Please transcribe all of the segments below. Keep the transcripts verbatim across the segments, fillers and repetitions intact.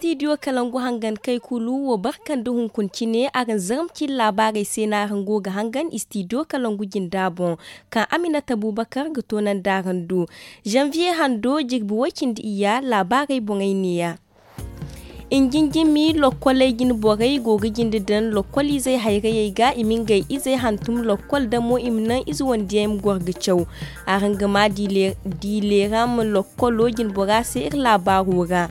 Istidiyo kalangu hangan kay kulu wo barkan da hunkuna cine araŋ zarma cine laabaarey se no araŋ go ga hangan istidiyo kalangu jinda boŋ, kaŋ aminata bubakar ga toonandi araŋ do. Zanviye hando jirbi way-cindi iyya laabaarey boŋey neeya. Injinjimi lokkoley jine borey go ga jinde daŋ lokkol izey hayrayey ga i ma ngey izey hantum lokkol damo i ma naŋ ize wandiyaŋ ma goro ga caw. Araŋ ga ma diileeram lokkolo jine bora se iri laabaaro ra.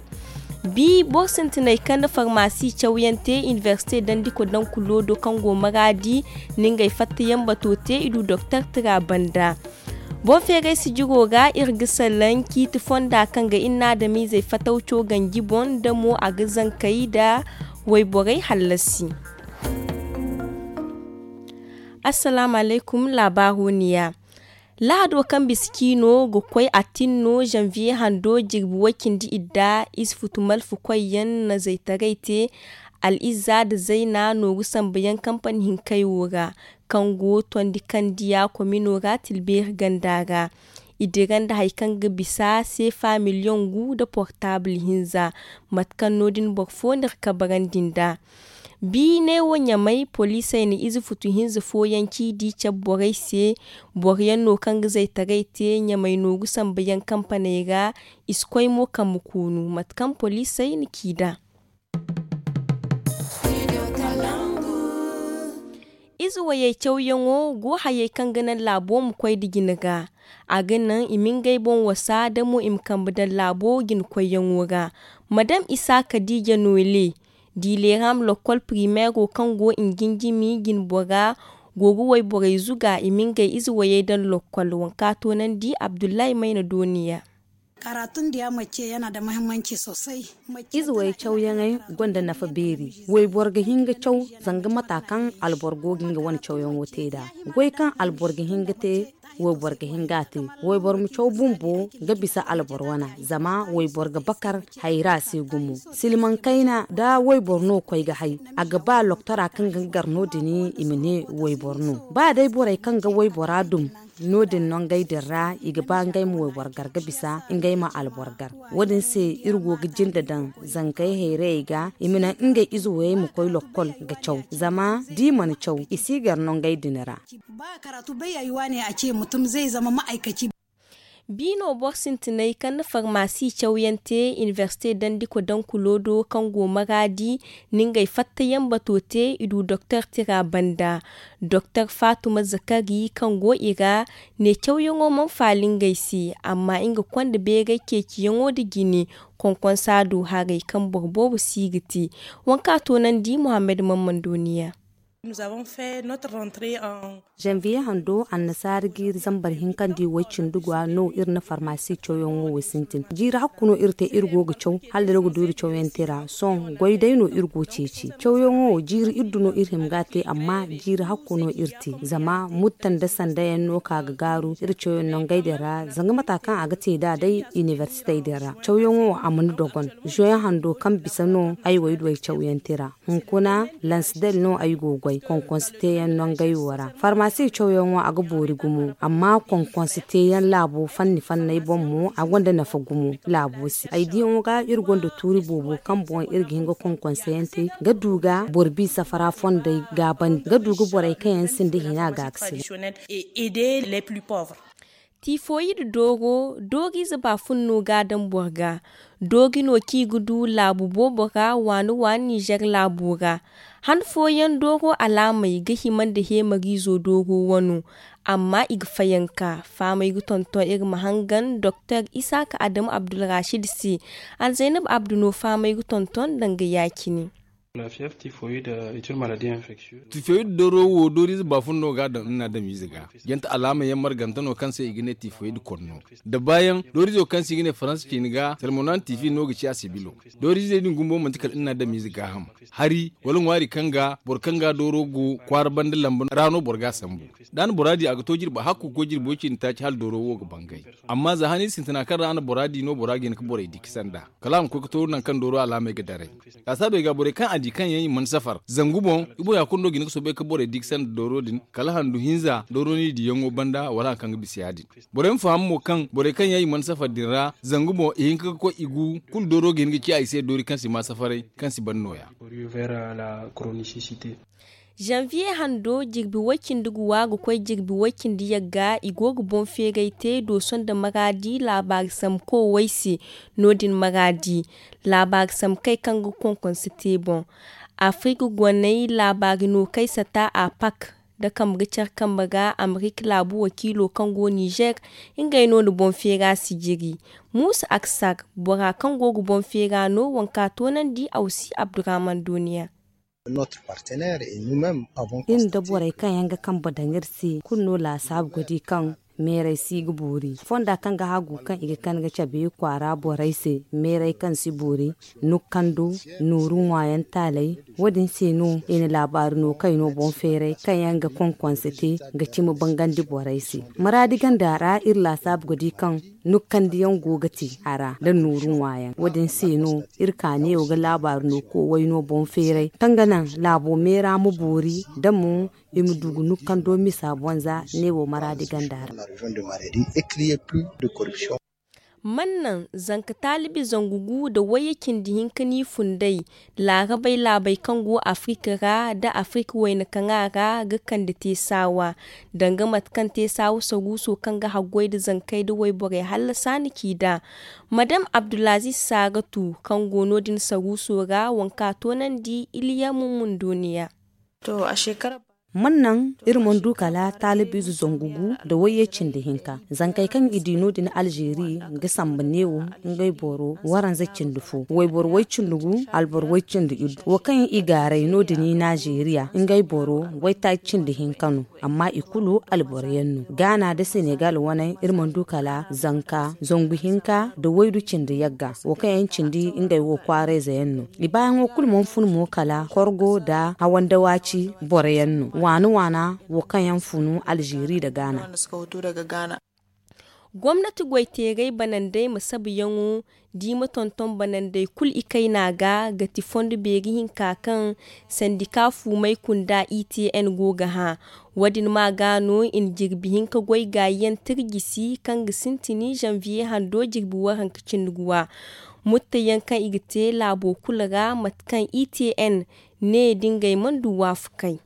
Bi boro sintinay kaŋ na farmasi cawyaŋ te inibersite dandi kodankulo do kaŋ go maraadi na ngey fattayaŋ bato te i du doktor tira banda. Boŋ feeray sijiro ra iri ga salaŋ ciiti fonda kaŋ ga inna adamizey fatawco ganji boŋ da mo a ga zankey nda wayborey hallasi. Assalaamu alaykum laabaaro niya. Lahado kaŋ bisa ciino ga koy a tinno zanviye hando jirbi way-cindi idda ize futu malfu koyyaŋ na zaytaray te. Al izza nda zayna nooru sambuyaŋ kampani hinkey wo ra kaŋ go tondi kandiya komino ra tilbeeri ganda ra. I dira nda hari kaŋ ga bisa seefa miliyoŋ gu nda portaabul hinza. Mate kaŋ no- din boro fo n'iri kabarandi nd'a. Bi neewo ɲamay poliisey na ize futu hinza fooyaŋ ciidi cabe borey se. Boro yaŋ no kaŋ ga zaytaray te ɲamay nooru sambuyaŋ kampaney ra. I si koy mo kambe koonu mate kaŋ poliisey na ci nd'a. Ize wayey cawyaŋo go hayey kaŋ ga naŋ laabo ma koy nda jine ga. A ga naŋ i ma ngey boŋ wasa da mo i ma kambe daŋ laabo jine koyyaŋo ra. Madam isa kadiija noole diileeram lokkol pirimeero kaŋ go injinjimi jine bora go ga wayborey zuga i ma ngey ize wayey daŋ lokkol waŋ kaŋ a toonandi abdullahi mayna dooniya. Ize way cawyaŋey gonda nafa beeri. Wayboro ga hin ga caw zanga mata kaŋ alboro go ga nga wane cawyaŋo te nd'a. Goy kaŋ alboro ga hin ga te wayboro ga hin ga a te. Wayboro ma caw bumbo ga bisa alboro wana zama wayboro ga bakar hayra se gumo. Silmaŋ kayna nda wayboro no koy ga hay a ga ba loktora kaŋ ga nga gar no- din i ma ne wayboro no. Ba day borey kaŋ ga waybora dum no- din no ngey din ra i ga ba ngey ma wayboro gar ga bisa ngey ma alboro gar. Wo- din se iri go ga jinde daŋ zangey hayrayey ga i ma naŋ ngey ize wayey ma koy lokkol ga caw zama da i mana caw i si gar no ngey din ra. Biino boro sintinay kaŋ na farmasi cawyaŋ te inibersite dandi kodankulo do kaŋ go maraadi na ngey fattayaŋ bato te i du doktor tira banda. Doktor fatuma zakari kaŋ go i ra ne cawyaŋo mana faali ngey se amma nga konda beeray ceeciyaŋo nda jine. Konkonsa du haray kaŋ boro boobo si ga te. Waŋ kaŋ a toonandi muhammad mammando niya. Zanviye hando annasaara jiiri zambar hinkandi way cindi gwa no iri na farmasi cawyaŋo wo sintin jiiri hakku no iri te iri go ga caw hala iri ga du iri cawyaŋ te ra sohõ goy day no iri go ceeci cawyaŋo wo jiiri iddu no iri hima ga a te amma jiiri hakku no iri te zama mutta nda sanda yaŋ no ka ga gaaru iri cawyaŋ nangey din ra zanga mata kaŋ a ga te nd'a day inibersitey din ra cawyaŋo wo a mana dogon zoyaŋ hando kaŋ bisa no ay wo ay du ay cawyaŋ te ra. Hunkuna lansidel no ay go goy konkonsi teeyaŋ nangey wo ra farmasi cawyaŋo a ga boori gumo amma konkonsi teeyaŋ laabo fanni fanney boŋ mo a gonda nafa gumo laabo se ay diyaŋo ga iri gonda tuuri boobo kaŋ boŋ iri ga hin ga konkonsi yaŋ te ga du ga boro bi safara fondey gaabandi ga du ga borey kaŋ yaŋ sinda hina ga ga sila. Tifoyid dooro dooriize baafun no ga a daŋ boro ga. Doori no kaŋ i ga du laabu boobo ra waani waani nizer laabo ra. Han fooyaŋ dooro alaamey ga hima nda heemariizo dooro wano. Amma i ga fayanka fahamey ga tonton iri ma hangan doktor isaaka adamu abdulrashid se. Alzaynab abdu no fahamey ga tonton danga ya- cine. Tifoyid dooro wo dooriize baafun no ga a daŋ iri na a daŋ miize ga. Jante alaama yaŋ marganta no kaŋ se i ga ne tifoyid konno. Da baayaŋ dooriizo kaŋ se i ga ne faransa ciini ga salmonan tifi no ga ci a sibilo. Dooriizey din gumbo manti kala iri na a daŋ miize gaaham. Hari wala ŋwaari kaŋ ga boro kaŋ ga dooro go kwaara banda lamba ra no boro ga a sambu. Da a na bora di a ga to jirbi hakku ga koy jirbo ciini taaci hala dooro wo ga bangay. Amma za han iri sintina kaŋ ra a na bora di no bora ga hin ga borey di ka sanda kala a ma koy ga to nangu kaŋ dooro alaamey ga daray. Laasaabey ga borey kaŋ a Kaŋ yaŋ i mana safar zangu boŋ, i boŋ ya kulu no ga hin ga soobay ga borey di ga sanda dooro din, kala handu hinza dooro no i diyaŋo banda wala hari kaŋ ga bisa ya- din. Borey ma faham mo kaŋ borey kaŋ yaŋ i mana safar din ra zangu boŋ i hin ga ga koy i gu kulu dooro ga hin ga ci a i se doori kaŋ si ma safaray, kaŋ si ban nooya. Janvier hando jirbi way-cindi ga wa ga koy jirbi way-cindi yagga i go ga boŋ feeray te dooso nda maraadi laabaari sambu koowey se. No- din maraadi laabaari sambu kay kaŋ ga konkonse te boŋ. Afirik goney laabaari no kay sata a pak da kambe ga care kambe ga amerik laabu wakiilo kaŋ go nizer. Ngey no na boŋ feera sijiri. Muusa aksar bora kaŋ go ga boŋ feera no waŋ ka toonandi awsi abdurrahman dooniya. Iri nda borey kaŋ yaŋ ga kambe daŋ iri se kulu no laasaabu ga di kaŋ meeray si ga boori fonda kaŋ ga hagu kaŋ i ga kande ga cabe i kwaara borey se. Meeray kaŋ si boori nukando nooru ŋwaayaŋ taaley. Wo- din se no i na laabaari no kayno boŋ feeray kaŋ yaŋ ga konkonse te ga cimi bangandi borey se. Maraadi ganda ra iri laasaabu ga di kaŋ nukkandiyaŋ go ga te a ra nda nooru ŋwaayaŋ wo- din se no iri ka neewo ga laabaari no koowey no boŋ feeray kaŋ ga naŋ laabo meera ma boori da mo i ma du ga nukkando misa boŋ za neewo maraadi ganda ra. Man naŋ zanka taalibi zangu gu nda wayye cindi hinka n'i funday laarabey laabey kaŋ go afirik ra nda afirik wayna kaŋa ra ga kande te saawa danga mate kaŋ te saawa saruuso kaŋ ga haggoy nda zankey nda wayborey hallasa ni ci nd'a. Madam abdulaziz saaratu kaŋ go no- din saruuso ra waŋ ka toonandi iliya mummun dooniya. Man naŋ iri mana du kala taalibiize zangu gu nda wayye cindi hinka zankey kaŋ i di no- din alzeeri ga samba neewo ngey boro waranza cindi fo wayboro way cindi gu alboro way cindi iddu wo kaŋ i gaaray no- din i naazeeriya ngey boro waytaaci cindi hinka no. Amma i kulu alboro yaŋ no gaana nda senegal wane iri mana du kala zanka zangu hinka nda waydu cindi yagga wo kaŋ yaŋ cindi ngey wo kwaarayze yaŋ no. I baayaŋo kulu mana fun mo kala korgo nda hawandawaaci boro yaŋ no waana waana wo kaŋ yaŋ funu alzeeri nda gaana. Gomnati goyteeray banandey ma sabayaŋo da i ma tonton banandey kulu i kayna ga ga ti fondo beeri hinka kaŋ sandika fuumey kunda i t n go ga hã. Wo- din ma ga no i na jirbi hinka goy gaayiyaŋ tirjisi kaŋ ga sintin zanviye hando jirbi waranka cindi guwa. Mutteyaŋ kaŋ i ga te laabo kulu ra mate kaŋ i t n ne da ngey mana du waafakay.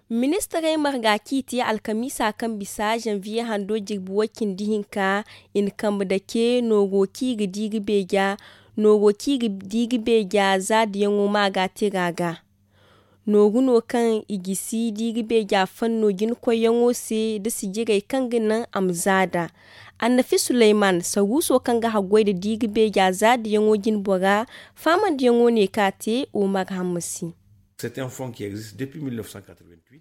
Ministarey marga kaŋ i te alkamiisa kaŋ bisa zanviye hando jirbi way-cindi hinka i na kambe dake nooro kaŋ i ga di ga beeja. Nooro kaŋ i ga di ga beeja za dayaŋo ma ga tira ga nooru no kaŋ i gisi da i ga beeja fanno jinkoyyaŋo se nda sijirey kaŋ ga naŋ a ma za nd'a. Annafi suleyman saruuso kaŋ ga haggoy nda da i ga beeja za dayaŋo jinbora faamandiyaŋo ne kaŋ a te omar hammasi.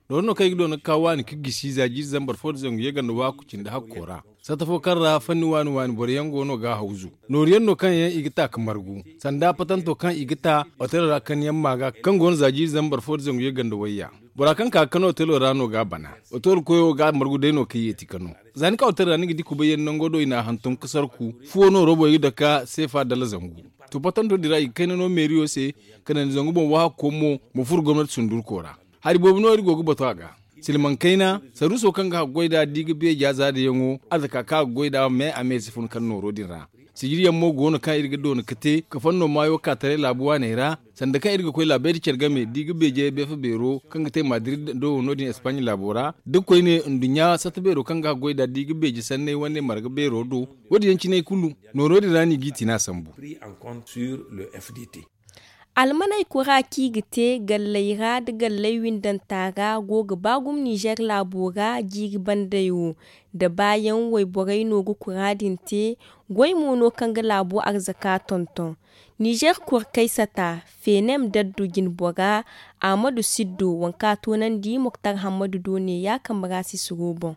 Nooro no kaŋ i ga doona ga ka waani ga gisi za jiiri zambar fo nda zangu yaganda waaku cindi hakko ra. Satta fo kaŋ ra fanni waani waani boro yaŋ go no ga a hawzu. Nooru yaŋ no kaŋ yaŋ i ga ta ga margu sanda patanto kaŋ i ga ta otelo ra kani yaŋ ma ga kaŋ go no za jiiri zambar fo nda zangu yaganda wayya. Bora kaŋ ka ga kani otelo ra no ga a bana. Otelo koyo ga a margu day no kaŋ yeeti kano. Za ni ka otelo ra ni ga di kubay yaŋ nango do i n'a hantum ga sarku fuwo no robo i ga dake seefa dala zangu. To patanto din ra i ga kayna no meeriyo se. Kala ni zangu boŋ waahakko mo ma furo gomnati sundurko ra. Hari boobo no iri go ga batu a ga. Silmaŋ kayna saruuso kaŋ ga haggoy nd'a da i ga beeja za dayaŋo arzaka kaŋ a ga goy nd'a me a me si fun kala nooro din ra. Sijiriyaŋ mo go no kaŋ iri ga doona ga te ga fanno maayo ka taray laabu waaney ra. Sanda kaŋ iri ga koy laabey nda care game da i ga beejey beefa beero kaŋ ga te madrid do no- din espagne laabo ra da koyne nduɲɲa satta beero kaŋ ga haggoy nd'a da i ga beeje sanney wane marga beero do. Wo- din yaŋ cine kulu nooro din ra no i g'i tina sambu. Almaney kura kaŋ i ga te galley ra nda galley windanta ra go ga ba gumo nizer laabo ra jiiri bandey wo. Da baayaŋ wayborey no ga kura din te. Goy mo no kaŋ ga laabo arzaka tonton. Nizer kura kaysata fenem daddu jinbora ahmadu siddo waŋ kaŋ a toonandi moktar hammadu do ne ya kambe ra sisiro boŋ.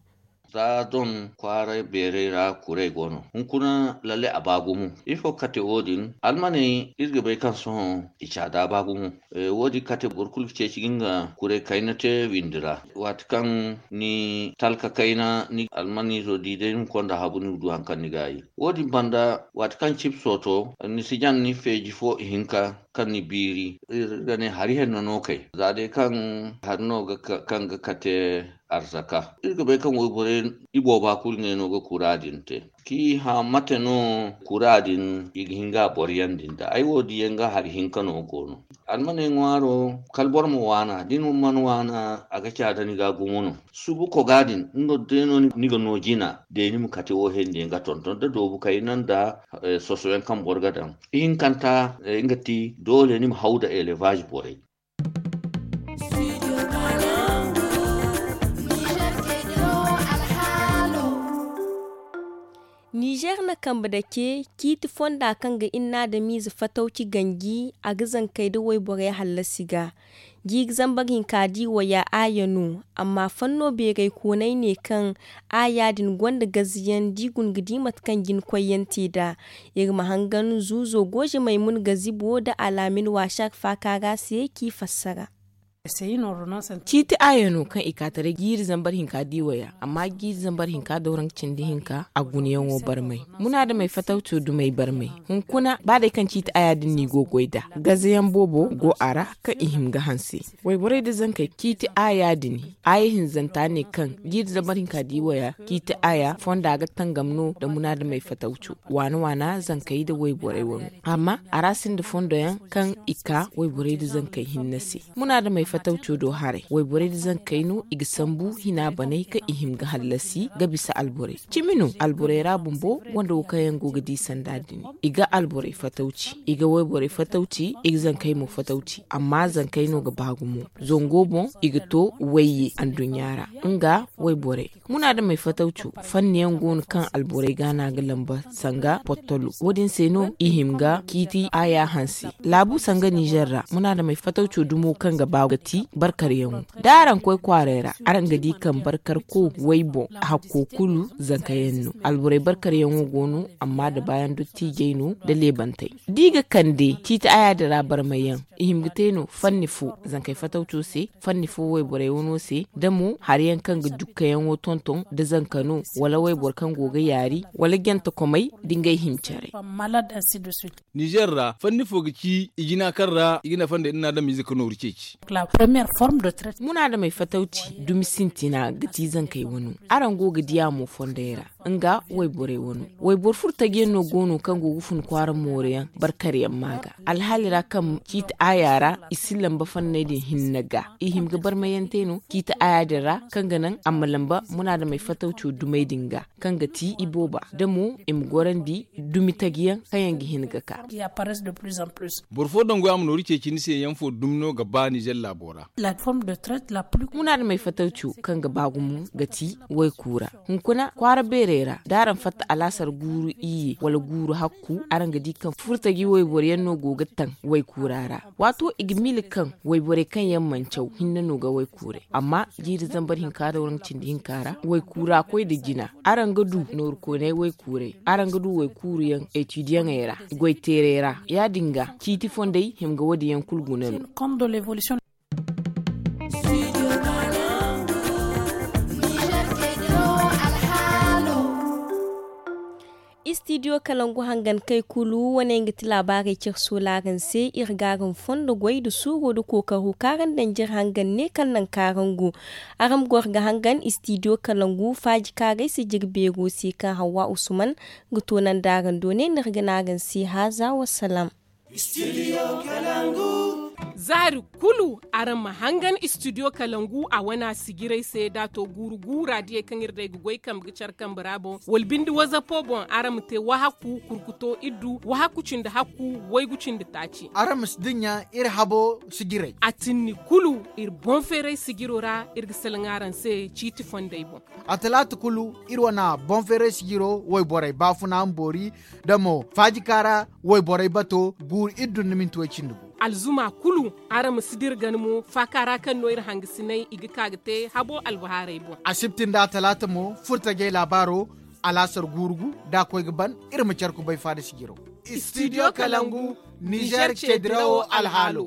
Za don kwaara beeray ra kuray go no. Hunkuna lalle a ba gumo. Ifo kate wo- din almaney iri ga bay kaŋ sohõ i caada ba gumo. Wo- din kate boro kulu ga ceeci ga nga kuray kayna te windi ra. Waati kaŋ ni talka kayna ni almaniizo di day ni ma konda habu ni ma du hari kaŋ ni ga a ye. Wo- din banda waati kaŋ cipso to ni si jan ni feeji fo ihinka kaŋ ni biiri iri ga ne hari henno no kay za day kaŋ hari no kaŋ ga kate arzaka. Iri ga bay kaŋ wayborey ibooba kulu ngey no ga kura din te. Kaŋ i hã mate no kura din i ga hin ga a boro yaŋ din da ay wo diyaŋ ga hari hinka no go no. Almaney ŋwaaro kala boro ma waana da ni mana waana a ga caada ni ga gumo no. Subu koga din nga day no ni ga no jina day ni ma kate wo hendi yaŋ ga tonton da doobu kayna nda soso yaŋ kaŋ boro ga daŋ. Ihinkanta nga ti doole ni ma haw nda elevaazi borey. Nizer na kambe dake ciiti fonda kaŋ ga inna adamize fatawci ganji a ga zankey nda wayborey hallasi ga. Jiiri zambar hinka di waya aaya no. Amma fanno beeray koonay ne kaŋ aaya din gonda gaziyaŋ da i guna ga di mate kaŋ jina koyyaŋ te nd'a. Iri ma hangan zuuzo gooze maymun gazibo nda alaamin waasar faaka ra se k'i fassara. Ciiti aaya no kaŋ i ka taray jiiri zambar hinka di waya amma jiiri zambar hinka dawranka cindi hinka a gunayaŋo barmay. Munaadamey fatawco dumey barmay. Hunkuna ba day kaŋ ciiti aaya din no i go ga goy nd'a gazayaŋ boobo go a ra kaŋ i hima ga hanse. Wayborey nda zankey ciiti aaya din aaya hinzanta ne kaŋ jiiri zambar hinka di waya ciiti aaya fonda ga tangam no nda munaadamey fatawco waana waana zankey nda wayborey wano. Amma a ra sinda fondoyaŋ kaŋ i ka wayborey nda zankey hinne se. Munaadamey fatawco do haray wayborey nda zankey no i ga sambu hina baney kaŋ i hima ga hallasi ga bisa alborey. Cimi no alborey ra bumbo gonda wo kaŋ yaŋ go ga di sanda din. I ga alborey fatawci i ga wayborey fatawci i ga zankey mo fatawci amma zankey no ga ba gumo. Zango boŋ i ga to wayye anduɲɲa ra nga wayborey. Munaadamey fatawco fanni yaŋ go no kaŋ alborey ga no a ga lamba sanga pottolo wo- din se no i hima ga ciiti aaya hanse. Laabu sanga nizer ra munaadamey fatawco dumo kaŋ ga ba ga ti barkaryaŋo. Da araŋ koy kwaaray ra araŋ ga di kaŋ barkarko wayboŋ hakko kulu zankayaŋ no. Alborey barkaryaŋo go no amma da baayaŋ dottiijey no nda leebantey. Da i ga kande ciiti aaya din ra barmayyaŋ i hima ga te no fanni fo zankey fatawco se, fanni fo wayborey wano se da mo hari yaŋ kaŋ ga dukkayaŋo tonton nda zanka no wala wayboro kaŋ go ga yaari wala jantakomey nda ngey hima care. Nizer ra fanni fo ga ci i jina kaŋ ra i ga ne fonda iri na adamize ga nooru ceeci. Munaadamey fatawci dumi sintina ga ti zankey wano. Araŋ go ga di a mo fondey ra nga wayborey wano. Wayboro furtajiyaŋ no go no kaŋ go ga fun kwaara mooruyaŋ barkaryaŋ ma ga alhaali ra kaŋ ciiti aaya ra i si lamba fanney din hinne ga i hima ga barmayaŋ te no ciiti aaya din ra kaŋ ga naŋ a ma lamba munaadamey fatawco dumey din ga kaŋ ga ti ibooba da mo i ma gorandi dumi tajiyaŋ kaŋ yaŋ ga hin ga ka. Boro fo dangu a ma nooru ceeci ni se yaŋ fo dumi no ga ba nizer laabo ra. Munaadamey fatawco kaŋ ga ba gumo ga ti waykuura. Hunkuna kwaara beerey ra da araŋ fatta alaasar guuru iyye wala guuru hakku araŋ ga di kaŋ furtaji wayboro yaŋ no go ga taŋ waykuura ra. Waato i ga miila kaŋ wayborey kaŋ yaŋ mana caw hinne no ga waykuuray amma jiiri zambar hinka da waranka cindi hinka ra waykuura koy nda jina. Araŋ ga du nooru koonay waykuuray araŋ ga du waykuuru yaŋ etidiyaŋey ra goy teeray ra ya- din ga ciiti fondey hima ga wo- din yaŋ kulu guna no. Istidiyo kalangu hangan kay kulu wane nga ti laabaarey cire soolaaraŋ se iri ga araŋ fondo goy nda suuro nda kookaro kaŋ araŋ daŋ jire hangan ne kala naŋ kaŋ araŋ go. Araŋ ma goro ga hangan istidiyo kalangu faaji kaaray se jire beero se kaŋ hawwa usman ga toonandi araŋ do ne no iri ga ne araŋ se haaza wasalaam. Zaari kulu araŋ ma hangan istidiyo kalangu a wane a sijirey se da a to guuru guura diyey kaŋ iri day ga goy kambe ga care kambe ra boŋ wala binde wazapo boŋ araŋ ma te wahakku kurkuto iddu wahakku cindi hakku waygu cindi taaci. Araŋ ma si dinya iri habo sijirey. A tinni kulu iri boŋ feeray sijiro ra iri ga salaŋ araŋ se ciiti fondey boŋ. A talaata kulu iri wane boŋ feeray sijiro wayborey baafuna ma boori da mo faajika ra wayborey bato guuru iddu nda minti way cindi gu. alzuma kulu. Araŋ ma si dira gana mo faaka ra kaŋ no iri hangasinay i ga ka ga te habo albahaarey boŋ. Asibti nda talaata mo furtajey laabaaro alaasar guurugu da a koy ga ban. Iri ma care kubay faada sijiro. Studio kalangu, nizer ce dirawo alhaalo.